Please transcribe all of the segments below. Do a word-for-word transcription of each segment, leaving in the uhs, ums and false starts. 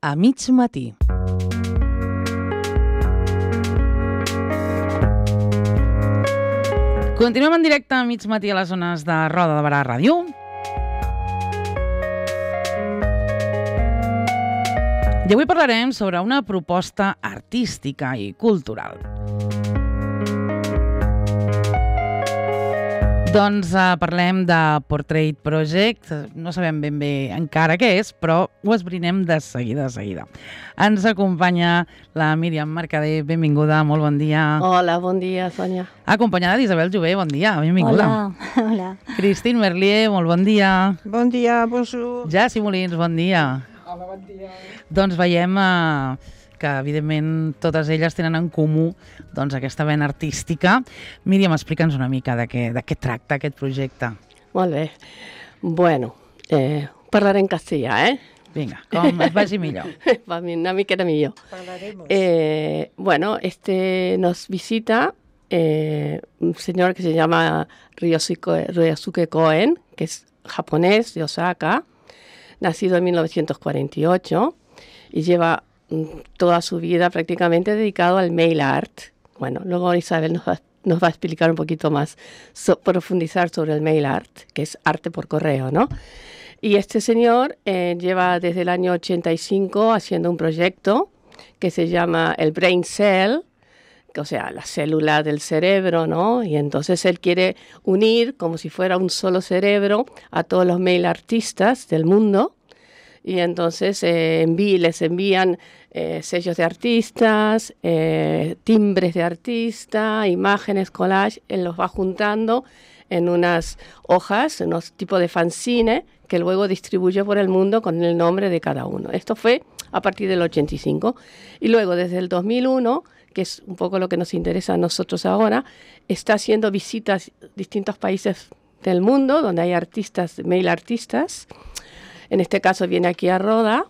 a mig matí. Continuem en directe a mig matí a les zones de Roda de Barà Ràdio. I avui parlarem sobre una proposta artística i cultural. Doncs uh, parlem de Portrait Project. No sabem ben bé encara què és, però ho esbrinem de seguida, de seguida. Ens acompanya la Míriam Mercader. Benvinguda, molt bon dia. Hola, bon dia, Sònia. Acompanyada d'Isabel Jové, bon dia, benvinguda. Hola, hola. Christine Merlier, molt bon dia. Bon dia, bonjour. Jassi Molins, bon dia. Hola, bon dia. Doncs veiem uh, que, evidentment, totes elles tenen en comú doncs, aquesta vena artística. Míriam, explica'ns una mica de què, de què tracta aquest projecte. Molt bé. Bueno, eh, parlaré en castellà, eh? Vinga, com es vagi millor. Va una miqueta millor. Hablaremos. Eh, bueno, este nos visita eh, un señor que se llama Ryosuke, Ryosuke Koen, que es japonés de Osaka, nacido en mil novecientos cuarenta y ocho y lleva toda su vida prácticamente dedicado al mail art. Bueno, luego Isabel nos va, nos va a explicar un poquito más, so, profundizar sobre el mail art, que es arte por correo, ¿no? Y este señor eh, lleva desde el año ochenta y cinco haciendo un proyecto que se llama el Brain Cell, que, o sea, la célula del cerebro, ¿no? Y entonces él quiere unir como si fuera un solo cerebro a todos los mail artistas del mundo. Y entonces eh, enví, les envían eh, sellos de artistas, eh, timbres de artista, imágenes, collage, él los va juntando en unas hojas, en unos tipos de fanzine, que luego distribuye por el mundo con el nombre de cada uno. Esto fue a partir del ochenta y cinco. Y luego desde el dos mil uno, que es un poco lo que nos interesa a nosotros ahora, está haciendo visitas a distintos países del mundo donde hay artistas, mail artistas. En este caso viene aquí a Roda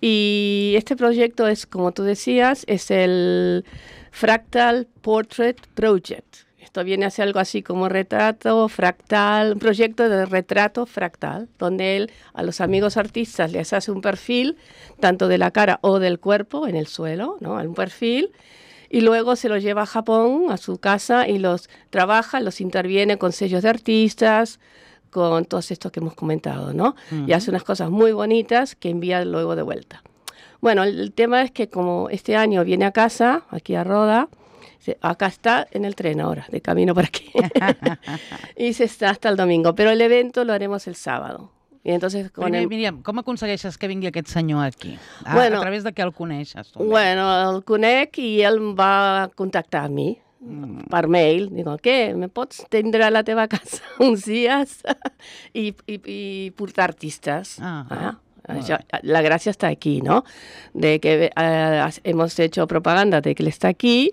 y este proyecto es, como tú decías, es el Fractal Portrait Project. Esto viene a ser algo así como retrato fractal, un proyecto de retrato fractal, donde él a los amigos artistas les hace un perfil, tanto de la cara o del cuerpo, en el suelo, ¿no? Un perfil, y luego se los lleva a Japón, a su casa, y los trabaja, los interviene con sellos de artistas, con todos estos que hemos comentado, ¿no? Uh-huh. Y hace unas cosas muy bonitas que envía luego de vuelta. Bueno, el, el tema es que como este año viene a casa, aquí a Roda, se, acá está en el tren ahora, de camino por aquí, y se está hasta el domingo, però el evento lo haremos el sábado. I entonces, con Primer, el... Míriam, com aconsegueixes que vingui aquest senyor aquí? A, bueno, a través de què el coneixes? Tu? Bueno, el conec i ell em va contactar a mi. Mm. Per mail, digo, què, me pots tindre a la teva casa uns dies i, i, i portar artistes. Ah, ah, això, la gràcia està aquí, ¿no? De que eh, hemos hecho propaganda de que él está aquí,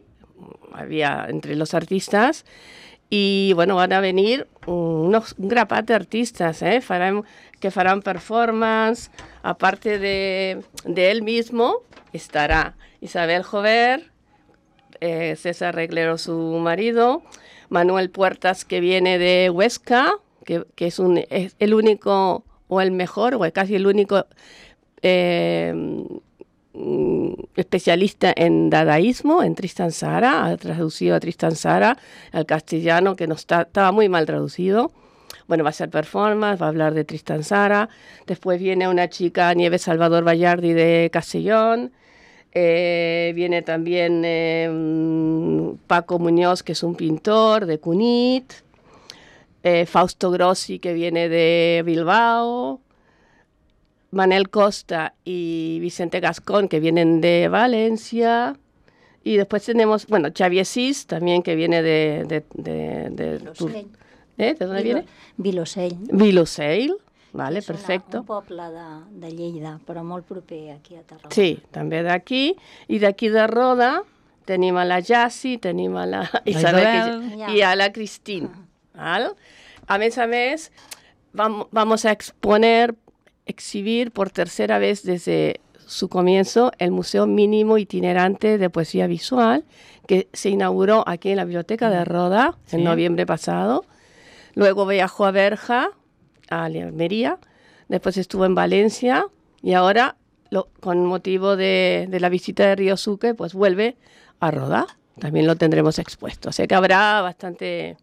había entre los artistas, y bueno, van a venir unos, un grapat de artistas, ¿eh? Farán, que farán performance, aparte de, de él mismo, estará Isabel Jover, Eh, César Reglero, su marido, Manuel Puertas, que viene de Huesca, que, que es, un, es el único o el mejor, o casi el único eh, especialista en dadaísmo, en Tristan Tzara, ha traducido a Tristan Tzara al castellano, que no está, estaba muy mal traducido. Bueno, va a hacer performance, va a hablar de Tristan Tzara. Después viene una chica, Nieves Salvador Vallardi, de Castellón. Eh, viene también eh, Paco Muñoz, que es un pintor de Cunit, eh, Fausto Grossi, que viene de Bilbao, Manel Costa y Vicente Gascón, que vienen de Valencia, y después tenemos, bueno, Xavier Sis, también, que viene de... de, de, de, Vilosell. ¿Eh? ¿De dónde Vilo, viene? Vilosell. Vilosell. Vale, és perfecto. Una, un poble de, de Lleida, però molt proper aquí a Tarragona. Sí, també d'aquí. I d'aquí de Roda tenim a la Jassi, tenim a la Isabel que, Ja. i a la Christine. ¿Vale? A més a més, vam, vamos a exponer, exhibir por tercera vez desde su comienzo el Museo Mínimo Itinerante de Poesía Visual, que se inauguró aquí en la Biblioteca de Roda en sí. noviembre pasado. Luego viajó a Berja, a Almería, después estuvo en Valencia y ahora lo, con motivo de, de la visita de Ryosuke, pues vuelve a Roda. También lo tendremos expuesto. O sea que habrá bastante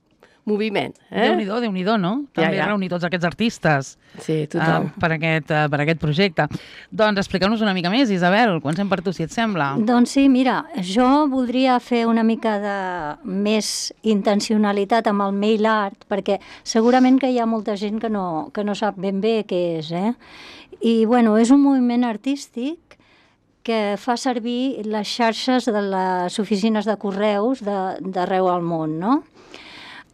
moviment. Eh? Déu-n'hi-do, Déu-n'hi-do, no? També ja. reunir tots aquests artistes sí, total. uh, per, aquest, uh, per aquest projecte. Doncs explica'ns una mica més, Isabel, comencem per tu, si et sembla. Doncs sí, mira, jo voldria fer una mica de més intencionalitat amb el mail art, perquè segurament que hi ha molta gent que no, que no sap ben bé què és, eh? I, bueno, és un moviment artístic que fa servir les xarxes de les oficines de correus d'arreu al món, no?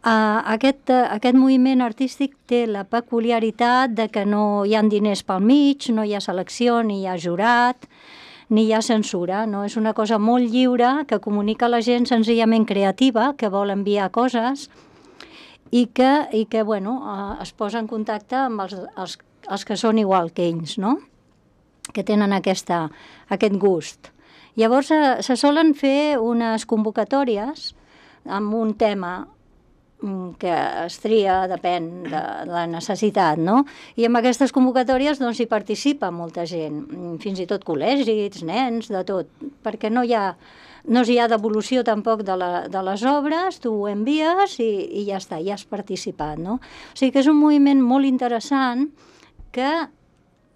Uh, aquest, uh, aquest moviment artístic té la peculiaritat de que no hi ha diners pel mig, no hi ha selecció, ni hi ha jurat, ni hi ha censura, no? És una cosa molt lliure que comunica a la gent senzillament creativa, que vol enviar coses i que, i que bueno, uh, es posa en contacte amb els, els, els que són igual que ells, no? Que tenen aquesta, aquest gust. Llavors uh, se solen fer unes convocatòries amb un tema que es tria, depèn de la necessitat, no? I en aquestes convocatòries doncs hi participa molta gent, fins i tot col·legis, nens, de tot, perquè no hi ha, no hi ha devolució tampoc de, la, de les obres, tu ho envies i, i ja està, ja has participat, no? O sigui que és un moviment molt interessant que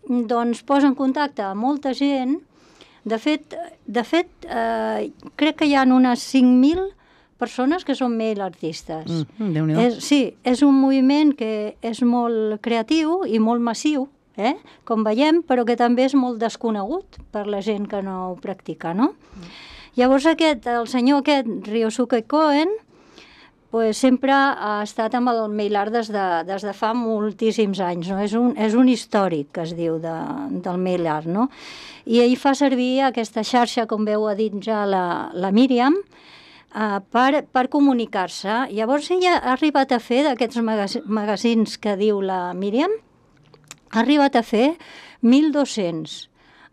doncs posa en contacte a molta gent. De fet, de fet eh, crec que hi ha unes cinc mil persones que són mail artistes. Mm, Déu-n'hi-do. És, sí, és un moviment que és molt creatiu i molt massiu, eh? Com veiem, però que també és molt desconegut per la gent que no ho practica, no? Mm. Llavors aquest, el senyor aquest, Ryosuke Koen, pues, sempre ha estat amb el mail art des de, des de fa moltíssims anys, no? És un, és un històric, que es diu, de, del mail art, no? I ell fa servir aquesta xarxa, com veu ha dit ja la, la Míriam, Uh, per, per comunicar-se. Llavors ella ha arribat a fer, d'aquests magazins que diu la Míriam, ha arribat a fer mil dos-cents.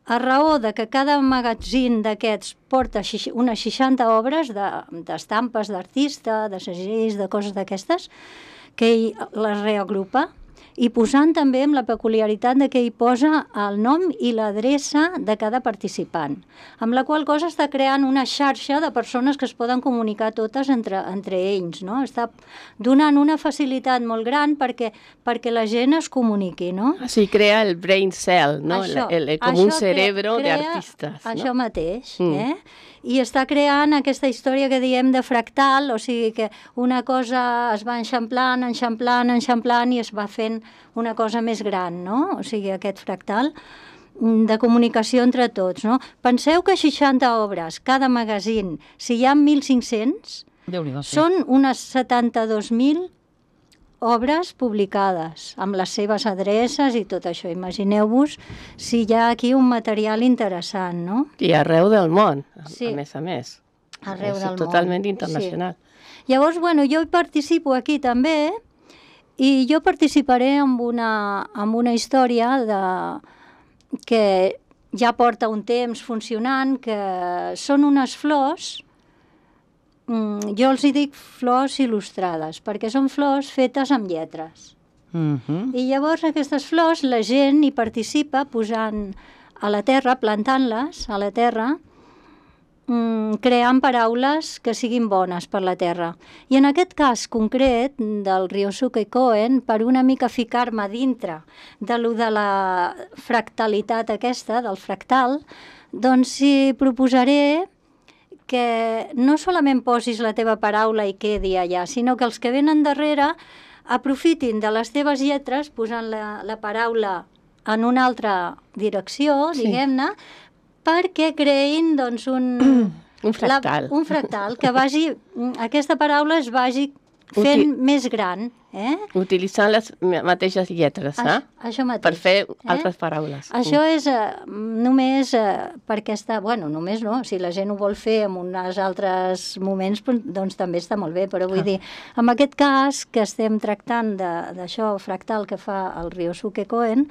A raó de que cada magazín d'aquests porta unes seixanta obres d'estampes de, d'artista, de segells, de coses d'aquestes, que ell les reagrupa, i posant també amb la peculiaritat de que hi posa el nom i l'adreça de cada participant, amb la qual cosa està creant una xarxa de persones que es poden comunicar totes entre, entre ells, no? Està donant una facilitat molt gran perquè, perquè la gent es comuniqui, no? Així crea el brain cell, no? Això, el, el, com un cerebro d'artistes. Això no? mateix, mm. eh? I està creant aquesta història que diem de fractal, o sigui que una cosa es va enxamplant, enxamplant, enxamplant i es va fent una cosa més gran, no? O sigui, aquest fractal de comunicació entre tots, no? Penseu que seixanta obres, cada magazín, si hi ha mil cinc-cents, Déu-n'hi-do, sí. són unes setanta-dos mil obres publicades, amb les seves adreces i tot això. Imagineu-vos si hi ha aquí un material interessant, no? I arreu del món, Sí. a més a més. Arreu És del món. totalment internacional. Sí. Llavors, bueno, jo hi participo aquí també, i jo participaré amb una, amb una història de, que ja porta un temps funcionant, que són unes flors, mm, jo els hi dic flors il·lustrades, perquè són flors fetes amb lletres. Mm-hmm. I llavors aquestes flors la gent hi participa posant a la terra, plantant-les a la terra, mm, creant paraules que siguin bones per la terra. I en aquest cas concret del Ryosuke Koen, per una mica ficar-me dintre de lo de la fractalitat aquesta, del fractal, doncs hi proposaré que no solament posis la teva paraula i quedi allà, sinó que els que venen darrere aprofitin de les teves lletres posant la, la paraula en una altra direcció, Sí. diguem-ne, perquè creïn doncs, un, Un fractal. La, un fractal, que vagi, aquesta paraula es vagi fent Uti- més gran. Eh? Utilitzant les mateixes lletres, eh? Això, això mateix. Per fer eh? altres paraules. Això és eh, només eh, perquè està... Bueno, només no, si la gent ho vol fer en uns altres moments, doncs també està molt bé, però vull Ah. dir, en aquest cas que estem tractant de- d'això fractal que fa el Ryosuke Koen,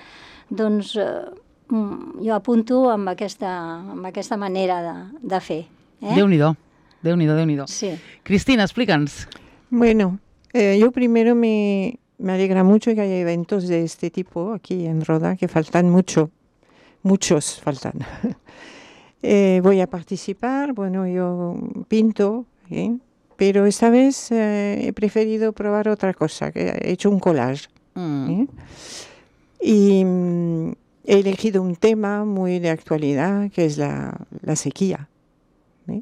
doncs eh, mm, jo apunto amb aquesta, amb aquesta manera de, de fer. Eh? Déu-n'hi-do, Déu-n'hi-do, Déu-n'hi-do. Sí. Cristina, explica'ns. Bueno, eh, yo primero me, me alegra mucho que haya eventos de este tipo aquí en Roda, que faltan mucho. muchos faltan. eh, voy a participar, bueno, yo pinto, ¿eh? Pero esta vez eh, he preferido probar otra cosa, que he hecho un collage. Mm. ¿eh? Y mm, he elegido un tema muy de actualidad, que es la, la sequía. ¿eh?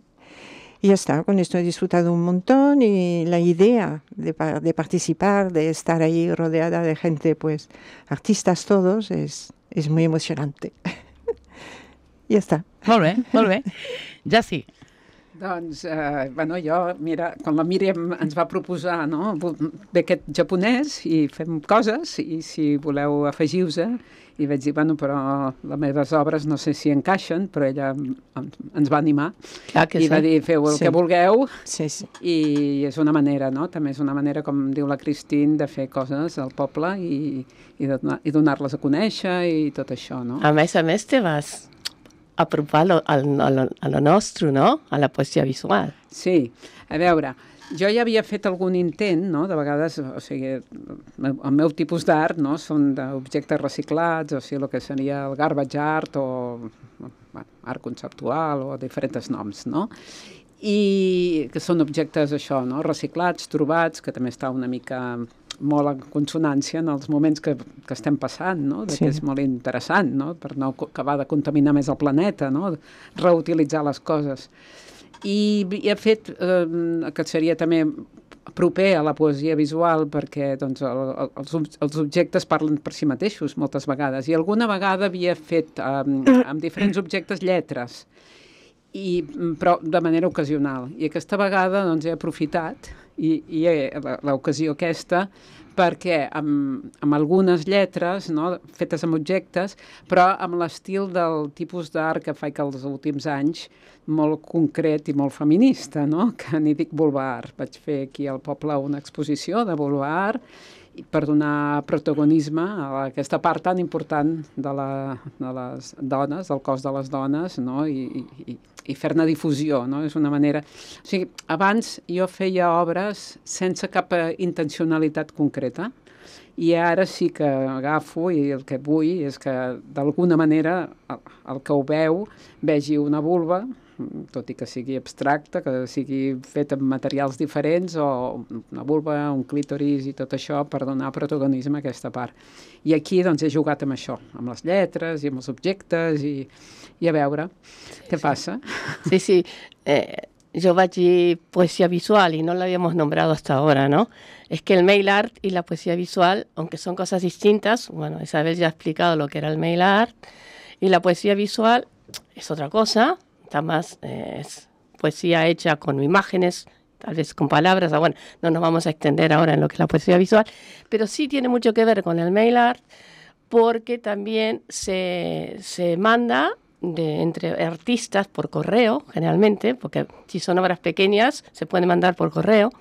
Y ya está, con esto he disfrutado un montón y la idea de, pa- de participar, de estar ahí rodeada de gente, pues artistas todos, es, es muy emocionante. I ja està. Molt bé, molt bé. Ja sí. Doncs, eh, bueno, jo, mira, quan la Míriam ens va proposar, no?, ve aquest japonès i fem coses, i si voleu afegiu-se, i vaig dir, bueno, però les meves obres no sé si encaixen, però ella ens va animar. Clar que I sí. va dir, feu el Sí. que vulgueu, Sí, sí. i és una manera, no?, també és una manera, com diu la Cristín, de fer coses al poble i, i, de donar, i donar-les a conèixer i tot això, no? A més a més te vas apropar lo, al, a, lo, a lo nostre, no? A la poesia visual. Sí, a veure, jo ja havia fet algun intent, no?, de vegades, o sigui, el meu tipus d'art, no?, són d'objectes reciclats, o sigui, el que seria el garbage art o bueno, art conceptual o diferents noms, no?, i que són objectes, això, no?, reciclats, trobats, que també està una mica molt en consonància en els moments que, que estem passant, no?, de Sí. que és molt interessant, no?, per no acabar de contaminar més el planeta, no?, reutilitzar les coses. I, i he fet, eh, que seria també proper a la poesia visual, perquè doncs, el, el, els, ob- els objectes parlen per si mateixos moltes vegades, i alguna vegada havia fet eh, amb diferents objectes lletres, i, però de manera ocasional. I aquesta vegada doncs, he aprofitat i, i he, la- l'ocasió aquesta perquè amb, amb algunes lletres, no, fetes amb objectes, però amb l'estil del tipus d'art que faig els últims anys, molt concret i molt feminista, no? Que n'hi dic boulevard. Vaig fer aquí al poble una exposició de boulevard i per donar protagonisme a aquesta part tan important de, la, de les dones, del cos de les dones, no? I, i, i fer-ne difusió, no? És una manera... O sigui, abans jo feia obres sense cap eh, intencionalitat concreta, i ara sí que agafo i el que vull és que d'alguna manera el, el que ho veu vegi una vulva, tot i que sigui abstracta, que sigui fet amb materials diferents, o una vulva, un clítoris i tot això per donar protagonisme a aquesta part. I aquí doncs he jugat amb això, amb les lletres i amb els objectes i, i a veure què passa. Sí, sí. Eh, yo vaig dir poesía visual y no la habíamos nombrado hasta ahora, ¿no? Es que el mail art y la poesía visual, aunque son cosas distintas, bueno, Isabel ya ha explicado lo que era el mail art, y la poesía visual es otra cosa, está más, eh, es poesía hecha con imágenes, tal vez con palabras, ah, bueno, no nos vamos a extender ahora en lo que es la poesía visual, pero sí tiene mucho que ver con el mail art, porque también se, se manda de, entre artistas por correo, generalmente, porque si son obras pequeñas se pueden mandar por correo,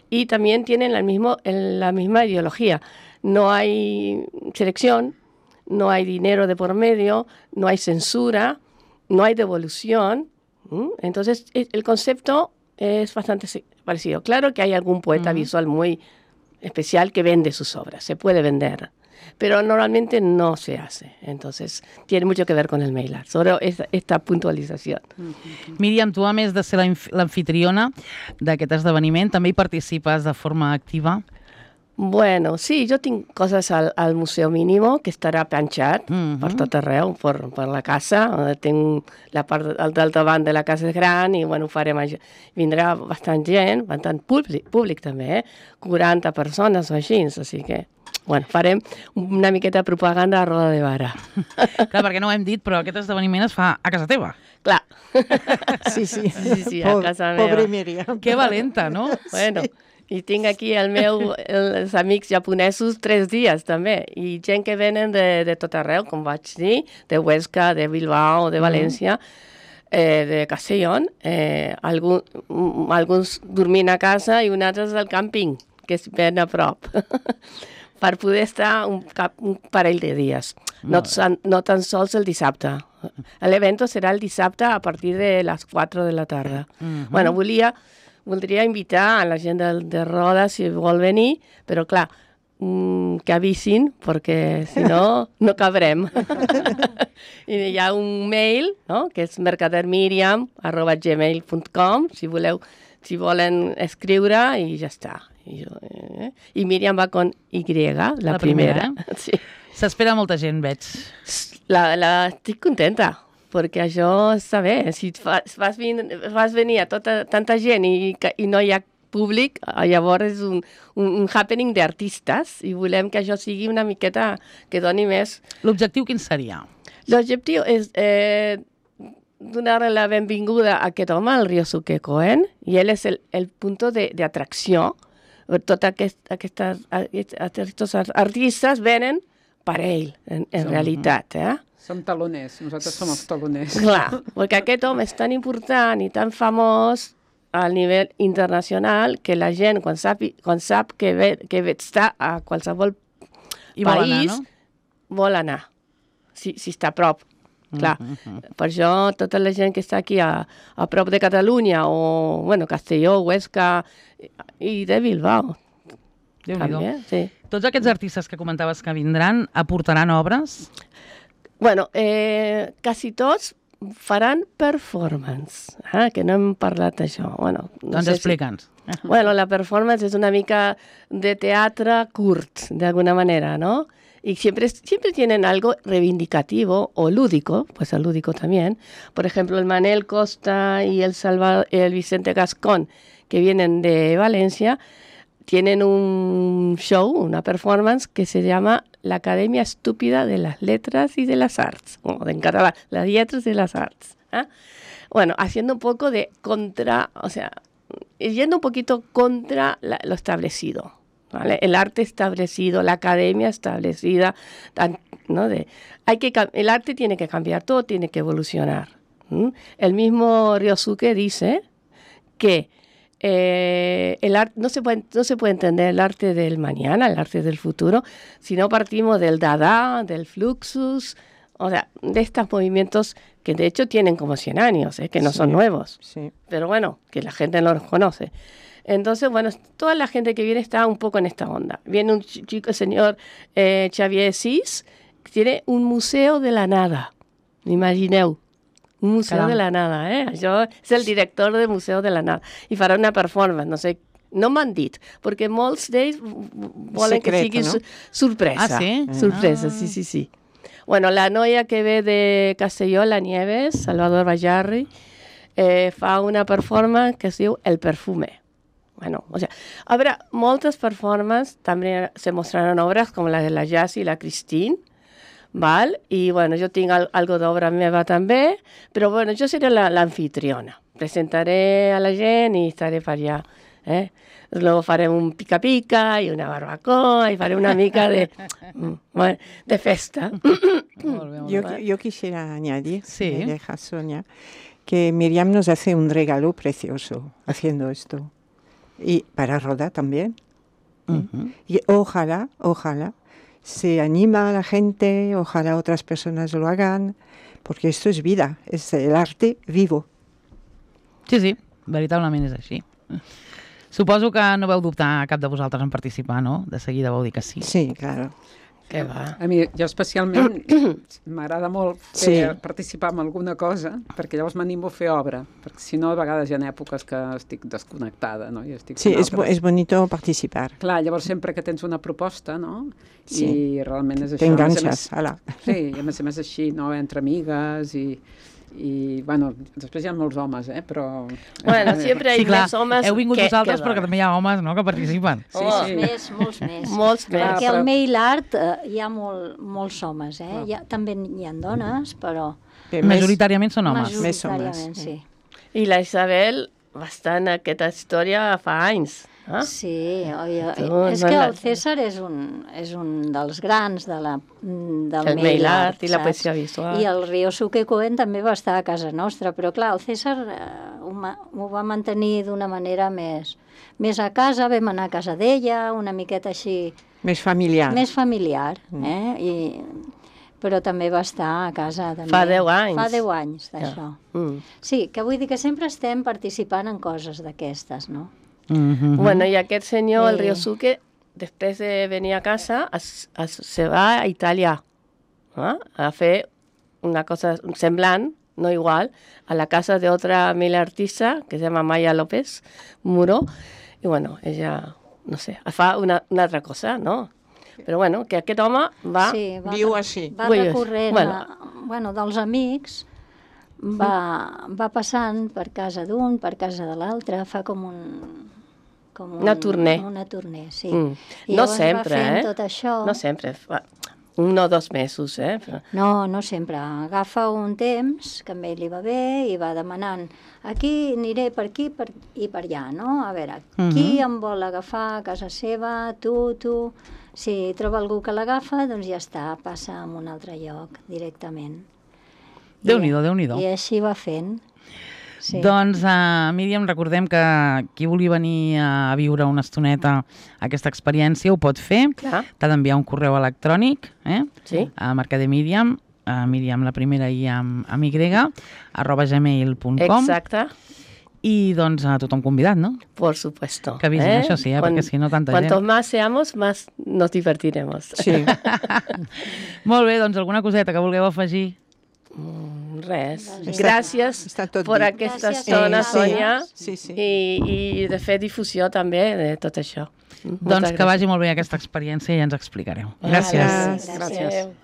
y también tienen el mismo, el, la misma ideología. No hay selección, no hay dinero de por medio, no hay censura, no hay devolución. ¿m? Entonces, e- el concepto es bastante se- parecido. Claro que hay algún poeta Ujú. visual muy especial que vende sus obras, se puede vender, pero normalmente no se hace. Entonces, tiene mucho que ver con el mail art. Solo esta, esta puntualización. Míriam, tu a més de ser la inf- l'anfitriona d'aquest esdeveniment, també hi participes de forma activa? Bueno, sí, jo tinc coses al, al Museu Mínimo, que estarà penjat Mhm. per tot arreu, per, per la casa. Eh, Tinc la part al daltavant de la casa és gran i, bueno, ho farem allà. Vindrà bastant gent, bastant públic, públic també, eh? quaranta persones o així, o sigui que, bueno, farem una miqueta de propaganda a roda de vara. Clar, perquè no ho hem dit, però aquest esdeveniment es fa a casa teva. Clar. Sí, sí. Sí, sí, a Po- casa meva. Pobre Míriam. Que valenta, no? Bueno, i tinc aquí el meu, els amics japonesos tres dies també, i gent que venen de, de tot arreu, com vaig dir, de Huesca, de Bilbao, de València, eh, de Castellón, eh, algun, mm, alguns dormint a casa i uns altres al càmping, que és ben a prop, per poder estar un, cap, un parell de dies, no, tan- no tan sols el dissabte. L'evento serà el dissabte a partir de les quatre de la tarda. Mhm. Bueno, volia, voldria invitar a la gent de, de Roda si vol venir, però clar, mm, que avisin, perquè si no, no cabrem. I hi ha un mail, no?, que és mercadermiriam arroba gmail punt com, si voleu, si volen escriure, i ja està. I, jo, eh? I Míriam va con Y, la, La primera. primera, Sí. S'espera molta gent, veig. La, la, estic contenta, perquè això està bé. Si fas, fas, vin, fas venir a tota, tanta gent i, i no hi ha públic, llavors és un, un, un happening d'artistes i volem que això sigui una miqueta que doni més. L'objectiu quin seria? L'objectiu és eh, donar la benvinguda a aquest home, el Ryosuke Koen, i ell és el, el punt d'atracció. Tots aquest, aquestes, aquests artistes venen per ell, en, en Som, realitat. Eh? Som taloners, nosaltres som els taloners. Clar, perquè aquest home és tan important i tan famós al nivell internacional que la gent, quan sap, quan sap que, ve, que està a qualsevol I vol país, anar, no? vol anar, si, si està a prop. Clar, Mm, mm, mm. per això tota la gent que està aquí a, a prop de Catalunya o, bueno, Castelló, Huesca i de Bilbao. Déu-n'hi-do. També, sí. Tots aquests artistes que comentaves que vindran aportaran obres? Bueno, eh, quasi tots faran performance, eh? Que no hem parlat d'això. Bueno, no Doncs sé si- explica'ns. Bueno, la performance es una mica de teatro curt, de alguna manera, ¿no? Y siempre, siempre tienen algo reivindicativo o lúdico, pues el lúdico también. Por ejemplo, el Manel Costa y el, Salva, el Vicente Gascón, que vienen de Valencia, tienen un show, una performance que se llama La Academia Estúpida de las Letras y de las Arts, o en catalán, las Letras y las Arts. ¿eh? Bueno, haciendo un poco de contra, o sea, yendo un poquito contra la, lo establecido, ¿vale? El arte establecido, la academia establecida, ¿no? De, hay que, el arte tiene que cambiar, todo tiene que evolucionar. ¿m? El mismo Ryosuke dice que eh, el arte, no, se puede, no se puede entender el arte del mañana, el arte del futuro, si no partimos del Dada, del Fluxus, o sea, de estos movimientos que de hecho tienen como cien años, ¿eh? Que no Sí, son nuevos. sí. Pero bueno, que la gente no los conoce. Entonces, bueno, toda la gente que viene está un poco en esta onda. Viene un chico, el señor eh, Xavier Sis, que tiene un museo de la nada. Imagineu, un museo Caram. de la nada, eh? Això és el director del Museu de la Nada. I farà una performance, no sé, no m'han dit, perquè molts d'ells volen que Secret, sigui no? su- sorpresa. Ah, sí? Sorpresa, Ah. sí, sí, sí. Bueno, la noia que ve de Castelló, la Nieves, Salvador Bajarri, eh, fa una performance que es diu El Perfume. Bueno, o sea, habrá moltes performances, també se mostraran obres com la de la Jazz i la Christine, val? I bueno, jo tinc al, algo d'obra meva també, però bueno, jo seré la- l'anfitriona. Presentaré a la gent i estaré per allà. Eh? Luego farem un pica-pica i una barbacoa i faré una mica de, mm, bueno, de festa. Molt bé, molt Yo, bé. yo quisiera añadir, Sí. si me deja Sonia, que Miriam nos hace un regalo precioso haciendo esto. Y para Roda también. Mhm. Y ojalá, ojalá, se anima a la gente, ojalá otras personas lo hagan, porque esto es vida, es el arte vivo. Sí, sí, veritablement és així. Suposo que no vau dubtar cap de vosaltres en participar, no? De seguida vau dir que sí. Sí, claro. Que va. A mi, jo especialment, m'agrada molt fer, Sí. participar en alguna cosa, perquè llavors m'animo a fer obra, perquè si no, a vegades hi ha èpoques que estic desconnectada, no? I estic Sí, fent es, bo- altres. es bonito participar. Clar, llavors sempre que tens una proposta, no? Sí. I realment és això. Te A més a enganxes, més- ala. Sí, i a més a més així, no? Entre amigues i... i, bueno, després hi ha molts homes, eh? Però... Bueno, siempre hay Sí, clar, més homes heu vingut que, vosaltres, que però que també hi ha homes, no?, que participen. Sí, Oh, sí. Més, molts més. Molts més. Perquè però- al mail art eh, hi ha molt, molts homes, eh? Hi ha, també hi ha dones, però Bé, més- Majoritàriament són homes. Més homes, majoritàriament sí. I la Isabel va estar en aquesta història fa anys. Eh? Sí, oi, oi. Tu, és no que la- el César és un, és un dels grans de la, del El mail mail art, art i la saps? poesia visual. I el Ryosuke Koen també va estar a casa nostra, però clar, el César eh, ho, ma- ho va mantenir d'una manera més, més a casa, vam anar a casa d'ella, una miqueta així, Més familiar. més familiar, eh? I, però també va estar a casa. També. Fa deu anys. Fa deu anys d'això. Mm. Sí, que vull dir que sempre estem participant en coses d'aquestes, no? Mhm. Bueno, i aquest senyor, el Eh. Ryosuke, després de venir a casa, es, es, se va a Itàlia ¿no? a fer una cosa semblant, no igual, a la casa de otra amiga artista que se llama Maya López Muro. Y bueno, ella, no sé, fa una, una altra cosa, no? Però bueno, que aquest home va... Sí, va, Viu així. Va Ui, recorrent, bueno. bueno. bueno, dels amics, va, va passant per casa d'un, per casa de l'altre, fa com un... Com un Una tournée. Una tournée, sí. Mm. I No llavors sempre, va fent eh? tot això. No sempre, fa un o dos mesos, eh? Però... No, no sempre. Agafa un temps que a ell li va bé i va demanant aquí aniré per aquí per, i per allà, no? A veure, qui Mhm. em vol agafar a casa seva, tu, tu... Si troba algú que l'agafa, doncs ja està, passa a un altre lloc directament. Déu-n'hi-do, Déu-n'hi-do. I així va fent. Sí. Doncs, uh, Míriam, recordem que qui vulgui venir a viure una estoneta aquesta experiència ho pot fer. Clar, T'ha d'enviar un correu electrònic eh? sí. a Mercader Míriam, a Míriam la primera i amb, amb Y, arroba gmail punt com. Exacte, I doncs a tothom convidat, no? por supuesto. Que avisin, això sí, eh? Perquè si no tanta Cuanto gent. más seamos, más nos divertiremos. Sí. Molt bé, doncs alguna coseta que vulgueu afegir? Mm, res. Gràcies. Gràcies Està tot per dit. aquesta Gràcies, estona, eh, sí. Sònia, Sí, sí. i, i de fer difusió també de tot això. Doncs que vagi molt bé aquesta experiència i ja ens explicareu. Gràcies. Gràcies. Gràcies.